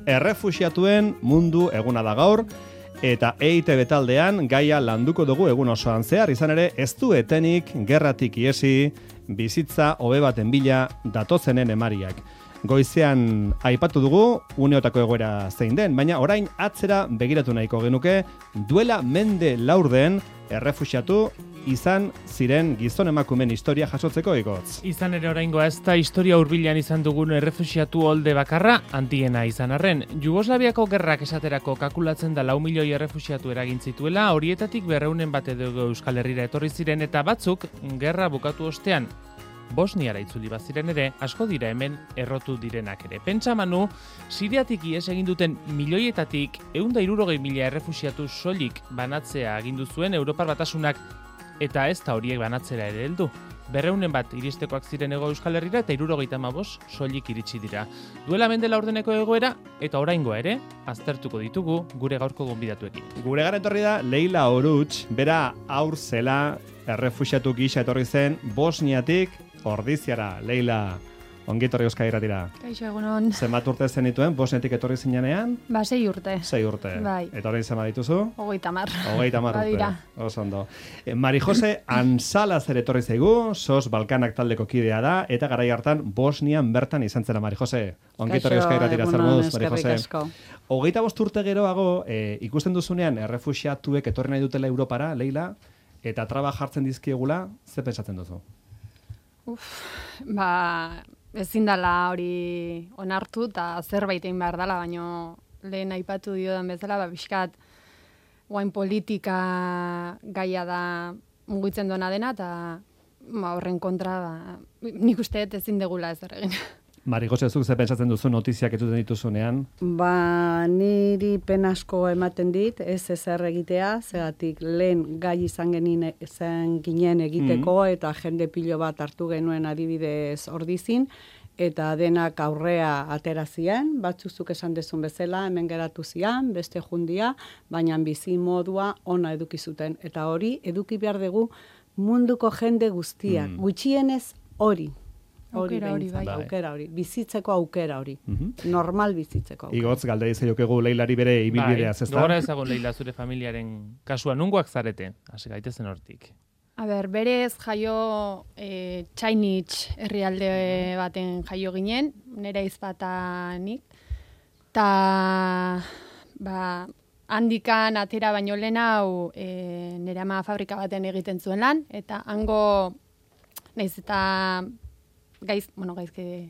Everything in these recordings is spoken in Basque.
Errefuxiatuen mundu eguna da gaur, eta EITB taldean gaia landuko dugu egun osoan zehar, izan ere ez du etenik gerratik iesi, bizitza hobe baten bila datozenen emariak. Goizean aipatu dugu uneotako egoera zein den, baina orain atzera begiratu nahiko genuke, duela mende laurden errefuxiatu izan ziren gizon emakumeen historia jasotzeko igotz. Izan ere oraingoa ez da historia hurbilean izan dugun errefuxiatu olde bakarra handiena izan arren. Jugoslaviako gerrak esaterako kalkulatzen da 4 milioi errefuxiatu eragin zituela, horietatik 200 bat edo Euskal Herrira etorri ziren eta batzuk gerra bukatu ostean Bosniara itzuli baziren ere, asko dira hemen errotu direnak ere. Pentsa Manu, Siriatik ihes egin duten milioietatik 160.000 errefuxiatu soilik banatzea agindu zuen Europar Batasunak, eta ez da horiek banatzera ere heldu. 200 bat iristekoak ziren Hego Euskal Herrira eta 75 soilik iritsi dira. Duela mende laurdeneko egoera eta oraingoa ere aztertuko ditugu gure gaurko gonbidatuekin. Gure gara etorri da Leila Oruch, bera haur zela errefuxiatu gisa etorri zen Bosniatik Ordiziara. Leila, ongi etorri Euskal Irratira. Kaixo, egunon. Zenbat urte zenituen Bosniatik etorri zinenean? 6 urte. 6 urte. Bai. Eta orain zenbat dituzu? 30. 30 urte. Badira. Oso ondo. Mari Jose Ansalaz ere etorri zaigu, SOS Balkanak taldeko kidea da, eta garai hartan Bosnian bertan izan zera Mari Jose. Ongi etorri Euskal Irratira zer moduz, Mari Jose. 25 urte geroago, ikusten duzunean errefuxiatuek etorri nahi dutela Europara, Leila, eta traba jartzen dizkiegula, ze pentsatzen duzu? Ezin dela hori onartu eta zerbait egin behar dela, baina lehen aipatu diodan bezala, pixkat guain politika gaia da mugitzen dona dena, eta horren kontra nik uste ezin degula ez egin. Mari Jose, zuk ze pentsatzen duzu notiziak etuten dituzunean? Niri penasko ematen dit, ez ezer egitea, zegatik lehen gai izan ginen egiteko, eta jende pilo bat hartu genuen adibidez Ordizin, eta denak aurrea atera ziren, batzuzuk esan dezun bezala, hemen geratu zian, beste jundia, baina bizi modua ona eduki zuten. Eta hori, eduki behar dugu munduko jende guztiak, gutxienez hori. Aukera hori, bizitzeko aukera hori. Normal bizitzeko aukera. Igotz, galdei zeiokegu Leilari bere ibilbideaz, ez da? Gogora ezagun Leila zure familiaren kasua, nungoak zarete, hasi gaitezen hortik. Berez jaio Txainitz herrialde baten jaio ginen, nire izpatanik, eta handikan atera baino lehen hau nire ama fabrika baten egiten zuen lan, eta hango nahiz eta gaizke...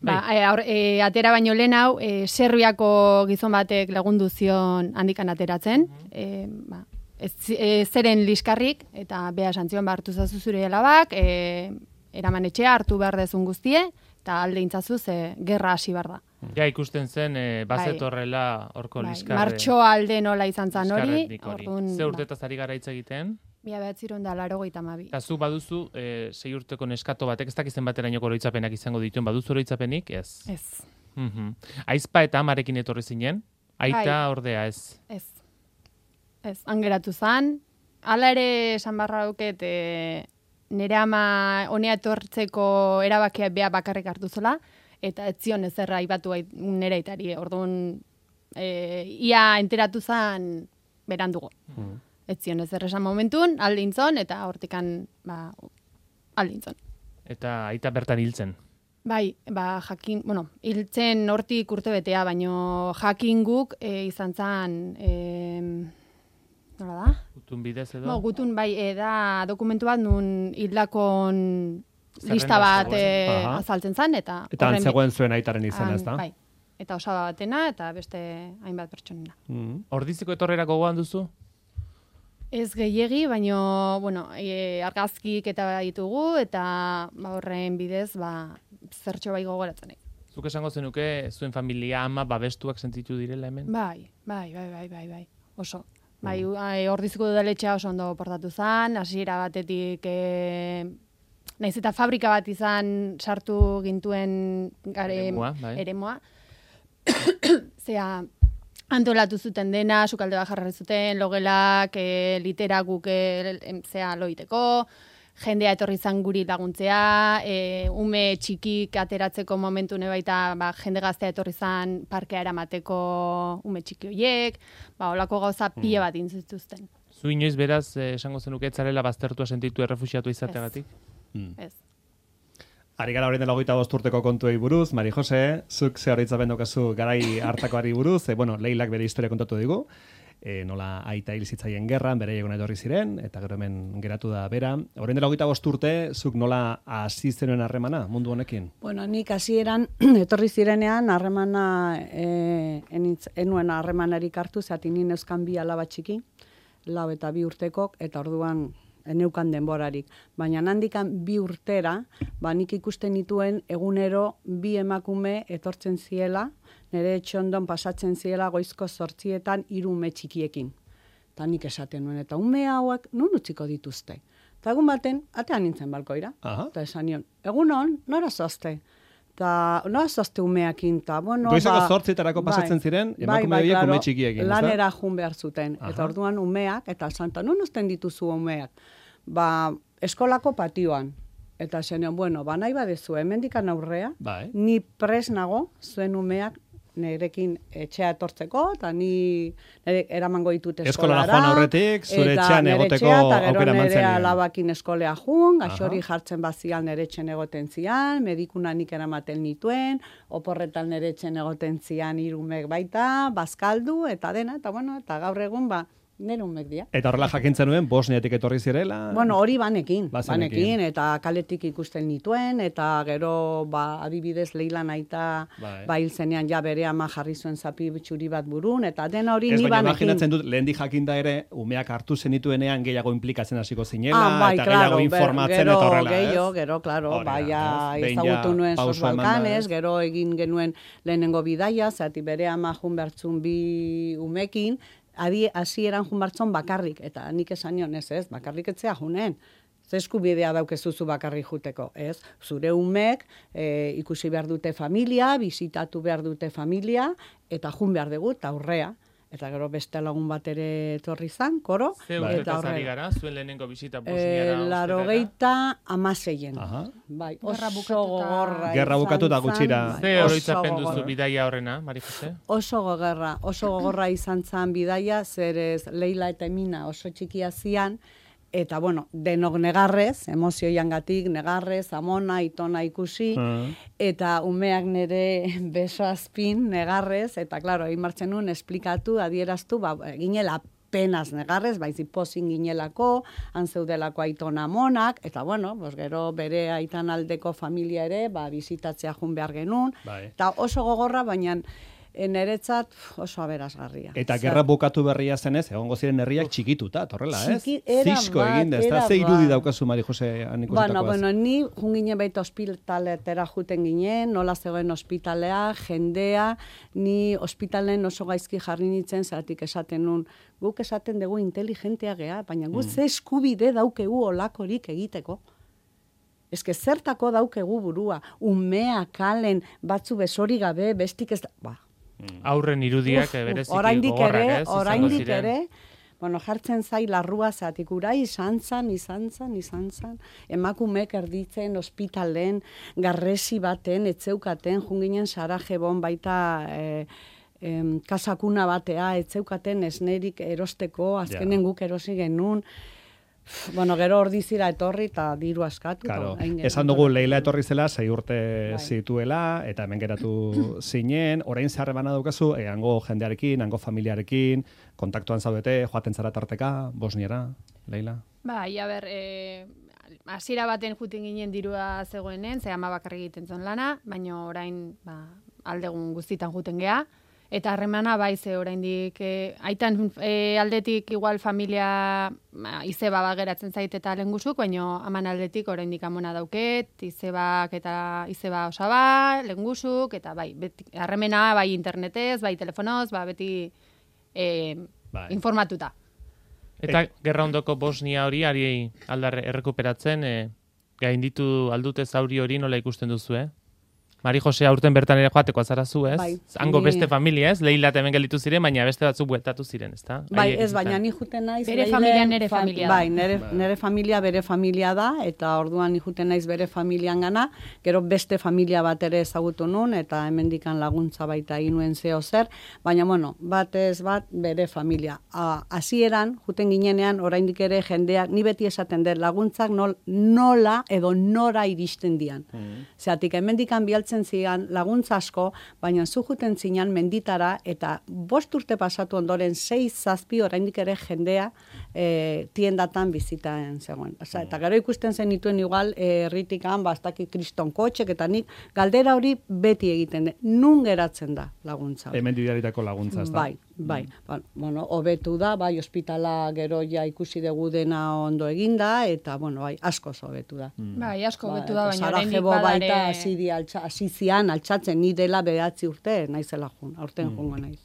atera baino lehen hau, Serbiako gizon batek lagundu zion handikan ateratzen, zeren liskarrik, eta beha santzion hartu zazu zure alabak, eraman etxea hartu behar dezun guztie, eta alde intzazu gerra hasi behar da. Ja, ikusten zen, bazetorrela horko liskarre. Martxo alde nola izan zan hori. Ze urtetaz ari gara hitz egiten? 1982. Eta zu baduzu 6 urteko neskato batek, ez dakizen baterainoko oroitzapenak izango dituen, baduzu oroitzapenik? Ez. Ez. Aizpa eta amarekin etorri zinen? Aita ordea ez? Ez, angeratu zan. Hala ere esan barra duket, nire ama honea etortzeko erabakia bea bakarrik hartu zola, eta ez zion ezerra aipatu nire aitari. Orduan, ia enteratu zan berandugo. Ez zion ezer esan momentun, aldintzon, eta hortikan, aldintzon. Eta aita bertan hiltzen? Bai, jakin, hiltzen hortik urtebetea, baino jakin guk izan zan, nola da? Gutun bidez edo? Gutun, bai, da dokumentu bat nun hildakon lista bat azaltzen zan, eta... Eta antzegoen zuen aitaren izena, ez da? Bai, eta osaba batena, eta beste hainbat pertsonena. Ordiziko etorrera gogoan duzu? Ez gehiegi, baino, argazkik eta ditugu, eta horren bidez, zertxo bai gogoratzen. Zuk esango zenuke, zuen familia ama babestuak sentitu direla hemen? Bai, oso. Ordiziko udaletxea oso ondo portatu zan, hasiera batetik, nahiz eta fabrika bat izan sartu gintuen eremua. Zea, antolatu zuten dena, sukalde bat jarri zuten, logelak, literak guk loiteko, jendea etorri izan guri laguntzea, ume txikik ateratzeko momentu baita jende gaztea etorri izan parkea eramateko ume txiki horiek, olako gauza pila bat intzituzten. Zu inoiz beraz, esango zenuke etzarela baztertua sentitu errefuxiatu izateagatik? Ez. Ari gara horien dela 25 urteko kontuei buruz, Mari Jose, zuk ze horitzapen daukazu garai hartakoari buruz, Leilak bere historia kontatu digu, nola aita hil zitzaien gerran, bere egon etorri ziren, eta gero hemen geratu da bera. Horien dela 25 urte, zuk nola hasi zenuen harremana mundu honekin? Bueno, nik hasieran etorri zirenean harremana enuen harremanarik hartu, zati ni neuzkan 2 alaba txiki, 4 eta 2 urtekok, eta orduan neukan denborarik. Baina handikan 2 urtera, nik ikusten nituen egunero 2 emakume etortzen ziela, nire etxondon pasatzen ziela goizko 8etan 3 ume txikiekin. Eta nik esaten nuen, eta ume hauek nun utziko dituzte. Eta egun baten, atean nintzen balkoira. Eta esan nion, egunon, nora zozte? Eta nora zozte umeakin, eta bueno... Goizeko 8etarako pasatzen ziren, emakume horiek ume txikiekin, ez da? Lanera jun behar zuten. Eta orduan umeak, eta santa, nun uzten dituzu umeak? Eskolako patioan. Eta zenion, bueno, nahi badezu, hemendikan aurrea, ni pres nago, zuen umeak nirekin etxea etortzeko, eta ni eramango ditut eskolara. Eskolara joan aurretik, zure etxean egoteko aukera mantzen. Eta gero nire nire alabakin eskolea jun, gaxori jartzen bazial nire etxen egoten zian, medikuna nik eramaten nituen, oporretan nire etxen egoten zian 3 umek baita, bazkaldu, eta dena, eta bueno, eta gaur egun nire umek dira. Eta horrela jakintzen nuen, Bosniatik etorri zirela? Bueno, hori banekin, eta kaletik ikusten nituen, eta gero, adibidez, Leila naita, hil zenean ja bere ama jarri zuen zapi txuri bat burun, eta dena hori ni banekin. Ez baina imaginatzen dut, lehendik jakinda ere, umeak hartu zenituenean gehiago implikatzen hasiko zinela, eta gehiago informatzen eta horrela, Gero, klaro, ezagutu nuen Sos Balkanes, gero egin genuen lehenengo bidaia, zati bere ama jun bertzun 2 umekin, hasieran jun bartzon bakarrik, eta nik esan nion, ez, bakarrik etzea junen. Ze eskubidea daukezuzu bakarrik juteko, ez? Zure umek ikusi behar dute familia, bizitatu behar dute familia, eta jun behar dugu, eta aurrea. Eta gero beste lagun bat ere etorri zan, koro. Ze urtetaz ari gara, zuen lehenengo bizita Bosniara? 86. Bai, oso gogorra. Gerra bukatu da gutxira. Ze oroitzapen duzu bidaia horrena, Mari Jose? Oso gogorra izan zan bidaia, zerez Leila eta Emina oso txikia zian, eta, bueno, denok negarrez, emozioiangatik negarrez, amona, itona ikusi, eta umeak nire beso azpin negarrez, eta, klaro, egin martzen nuen, esplikatu, adieraztu, ginela penaz negarrez, baizik pozin ginelako, hanzeudelako aitona amonak, eta, bueno, gero bere aitan aldeko familia ere, bizitatzea jun behar genuen, eta oso gogorra, baina niretzat oso aberasgarria. Eta gerra bukatu berria zenez, egongo ziren herriak txikituta, torrela, ez? Zisko egin da, ez da? Ze irudi daukazu, Mari Jose, anikusetakoaz? Bueno, ni junginen baita ospitaletera juten ginen, nola zegoen ospitalea, jendea, ni ospitalen oso gaizki jarri nintzen, zeratik esaten nun, guk esaten dugu inteligentea gea, baina guk ze eskubide daukegu olakorik egiteko. Ez que zertako daukegu burua, umea, kalen, batzu besori gabe, bestik ez da... Aurren irudiak bereziki gogorrak, ez? Oraindik ere, bueno, jartzen zai larrua zatik ura, izan zan, emakumek erditzen ospitalen, garresi baten, etzeukaten, junginen Sarajebon baita kasakuna batea, etzeukaten esnerik erosteko, azkenen guk erosi genuen, bueno, gero ordizira etorri eta diru askatu. Claro. Esan dugu Leila etorri zela, 6 urte zituela, eta hemen geratu zinen, orain zeharremana daukazu, hango jendearekin, hango familiarekin, kontaktuan zaudete, joaten zara tarteka, Bosniara, Leila? Bai, hasiera baten juten ginen dirua zegoenen, ze ama bakarrik egiten zuen lana, baina orain aldegun guztitan juten gea. Eta harremana bai ze oraindik aitan aldetik igual familia izeba geratzen zait eta lengusuk, baina aman aldetik oraindik amona dauket, izebak eta izeba osaba, lengusuk eta bai, harremena bai internetez, bai telefonoz, beti informatuta. Eta gerra ondoko Bosnia hori ari aldar errekuperatzen gainditu aldute zauri hori nola ikusten duzu, Mari Jose aurten bertan ere joateko azara zu, ez? Bai. Hango beste familia, ez? Leila hemen gelditu ziren, baina beste batzuk bueltatu ziren, ezta? Bai, ez, baina ni juten naiz. Bere familia nere familia da. Bai, nere familia bere familia da, eta orduan ni juten naiz bere familian gana, gero beste familia bat ere ezagutu nun, eta hemendikan laguntza baita egin nuen zeo zer, baina bueno, batez bat bere familia. Hasieran juten ginenean oraindik ere jendeak, ni beti esaten dut laguntzak nola edo nora iristen dian. Zeatik hemendikan bialtzen zian laguntza asko, baina zu juten zinan menditara, eta 5 urte pasatu ondoren 6-7 oraindik ere jendea tiendatan bizitaen zegoen. Osa, eta gero ikusten zen dituen igual herritikan, bastakit kriston kotxek, eta nik galdera hori beti egiten dut. Nun geratzen da laguntza? Hemen didaritako laguntza, ez da? Bai. Bueno, hobetu da, bai, ospitala gero ja ikusi dugu dena ondo eginda, eta, bueno, bai, asko hobetu da. Bai, asko hobetu da, baina oraindik Sarajevo badare... baita hasi zian altxatzen, ni dela 9 urte, naizela jun, aurten jungo naiz.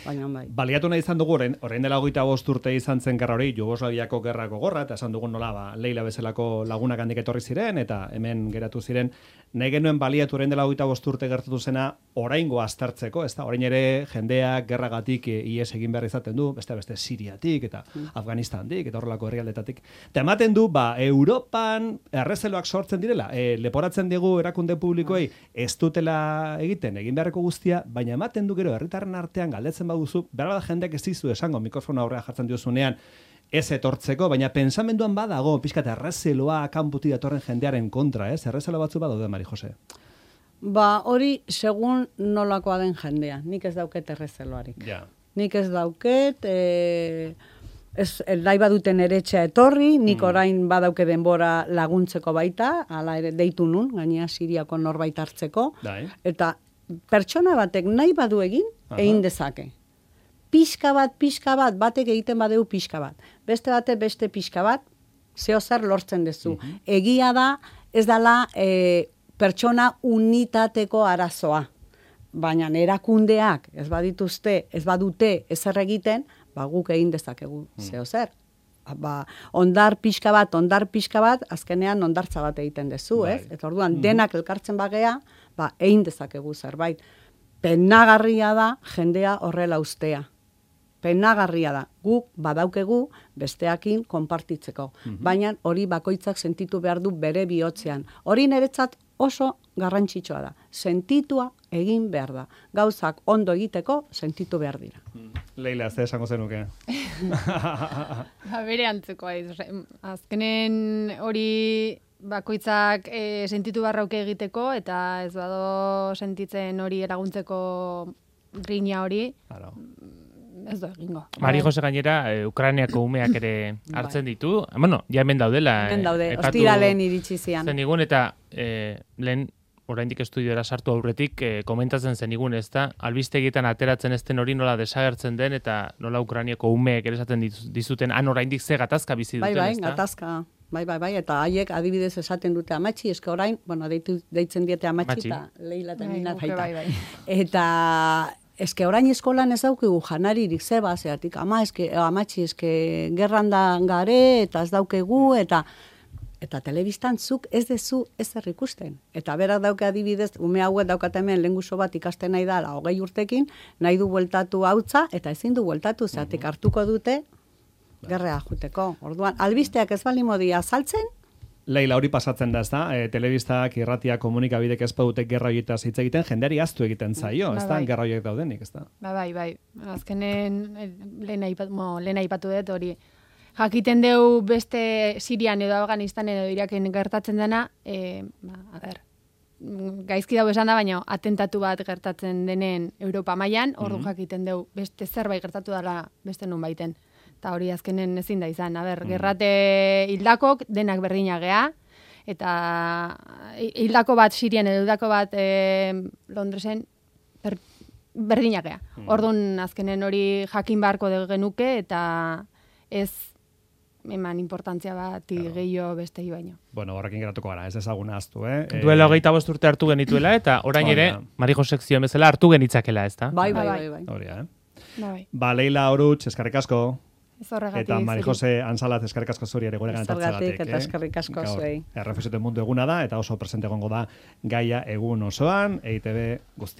Baina, bai. Baliatu nahi izan dugu, orain dela 25 urte izan zen gerra hori, Jugoslaviako gerrako gorra, eta esan dugun nola, Leila bezalako lagunak handik etorri ziren, eta hemen geratu ziren, nahi genuen baliatu orain dela 25 urte gertatu zena, oraingo aztertzeko, ez da, orain ere jendeak gerragatik ies egin behar izaten du, beste Siriatik eta Afganistantik eta horrelako herrialdetatik. Eta ematen du, Europan errezeloak sortzen direla, leporatzen digu erakunde publikoei ez dutela egin beharreko guztia, baina ematen du gero herritarren artean galdetzen baduzu, behar bada jendeak ez dizu esango mikrofona aurrea jartzen diozunean, ez etortzeko, baina pensamenduan badago, pixkat errezeloa kanputi datorren jendearen kontra, ez? Errezelo batzu badaude, Mari Jose. Hori segun nolakoa den jendea, nik ez dauket errezeloarik. Ja. Nik ez dauket, nahi baduten eretxea etorri, nik orain badauke denbora laguntzeko baita, hala ere deitu nun, gainea Siriako norbait hartzeko, eta pertsona batek nahi badu egin dezake. Pixka bat, batek egiten badeu pixka bat. Beste batek beste pixka bat, zeo zer lortzen dezu. Egia da, ez dala pertsona unitateko arazoa. Baina erakundeak ez badute ezer egiten, guk egin dezakegu zeo zer. Ondar pixka bat, azkenean ondartza bat egiten dezu, ez? Eta orduan, denak elkartzen bagea, egin dezakegu zerbait. Penagarria da jendea horrela ustea. Penagarria da. Guk badaukegu besteakin konpartitzeko. Baina hori bakoitzak sentitu behar du bere bihotzean. Hori niretzat oso garrantzitsua da. Sentitua egin behar da. Gauzak ondo egiteko sentitu behar dira. Leila, ez esango zenuke. Bere antzekoa. Azkenen hori bakoitzak sentitu barrauke egiteko, eta ez bado sentitzen hori eraguntzeko grina hori, ez da egingo. Mari Jose gainera, Ukrainiako umeak ere hartzen ditu. Bueno, ja hemen daudela. Hemen daude, ostiralen iritsi zian. Zenigun eta lehen oraindik estudiora sartu aurretik komentatzen zenigun, ez da, albistegietan ateratzen ezten hori nola desagertzen den, eta nola Ukrainiako umeek ere esaten dizuten, oraindik ze gatazka bizi duten, ez da? Gatazka. Bai, eta haiek adibidez esaten dute amatxi, eske orain, deitzen diete amatxi, eta Leila eta Nina baita. Eta eske orain eskolan ez daukigu janaririk zeba, zeatik, amatxi, eske gerran da gare, eta ez daukegu, eta telebistan zuk ez dezu ezer ikusten. Eta berak dauke adibidez, ume hauek daukat hemen lenguso bat ikasten nahi da, 20 urtekin, nahi du bueltatu hautza, eta ezin du bueltatu, zeatik hartuko dute, gerrea juteko. Orduan, albisteak ez bali modia saltzen? Leila, hori pasatzen da, ez da? Telebistak, irratia, komunikabidek ez badute gerra horietaz hitz egiten, jendeari ahaztu egiten zaio, ez da? Gerra horiek daudenik, ez da? Bai. Azkenen, lehen aipatu dut hori. Jakiten deu beste Sirian edo Afganistan edo Iraken gertatzen dena, gaizki dago esan da, baina atentatu bat gertatzen denen Europa mailan, ordu jakiten deu beste zerbait gertatu dela beste nun baiten. Eta hori azkenen ezin da izan. Gerrate hildakok denak berdinak gea, eta hildako bat Sirian edo hildako bat Londresen berdinak gea. Orduan azkenen hori jakin beharko genuke, eta ez eman importantzia bat gehiago bestei baino. Bueno, horrekin geratuko gara, ez ezaguna aztu, Duela 25 urte hartu genituela, eta orain ere, Mari Jose sekzioen bezala hartu genitzakela, ez da? Bai. Hori, Leila Oruch, eskerrik asko. Ez horregatik. Eta Mari Jose Ansalat eskerrik asko zuri ere guregan etortzeagatik. Zergatik eta eskerrik asko zuei. Errefuxiatuen mundu eguna da eta oso presente egongo da gaia egun osoan, EITB guztia.